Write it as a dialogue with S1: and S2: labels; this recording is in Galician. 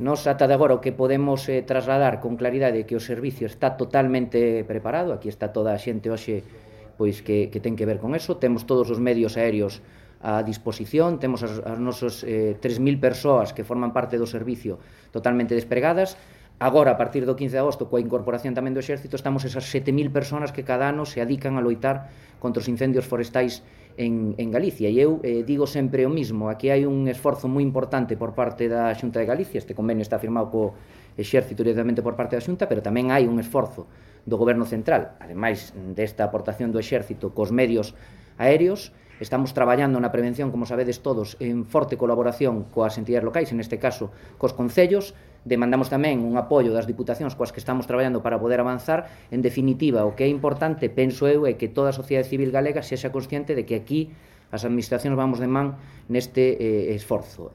S1: Nos ata de agora o que podemos trasladar con claridade é que o servicio está totalmente preparado. Aquí está toda a xente hoxe pois que ten que ver con eso. Temos todos os medios aéreos a disposición, temos as nosos 3.000 persoas que forman parte do servicio totalmente despregadas. Agora, a partir do 15 de agosto, coa incorporación tamén do Exército, estamos esas 7.000 persoas que cada ano se adican a loitar contra os incendios forestais en Galicia. E eu digo sempre o mismo, aquí hai un esforzo moi importante por parte da Xunta de Galicia, este convenio está firmado co Exército directamente por parte da Xunta, pero tamén hai un esforzo do Goberno Central, ademais desta aportación do Exército cos medios aéreos. Estamos traballando na prevención, como sabedes todos, en forte colaboración coas entidades locais, neste caso cos concellos. Demandamos tamén un apoio das diputacións coas que estamos traballando para poder avanzar. En definitiva, o que é importante, penso eu, é que toda a sociedade civil galega sexa consciente de que aquí as administracións vamos de man neste esforzo.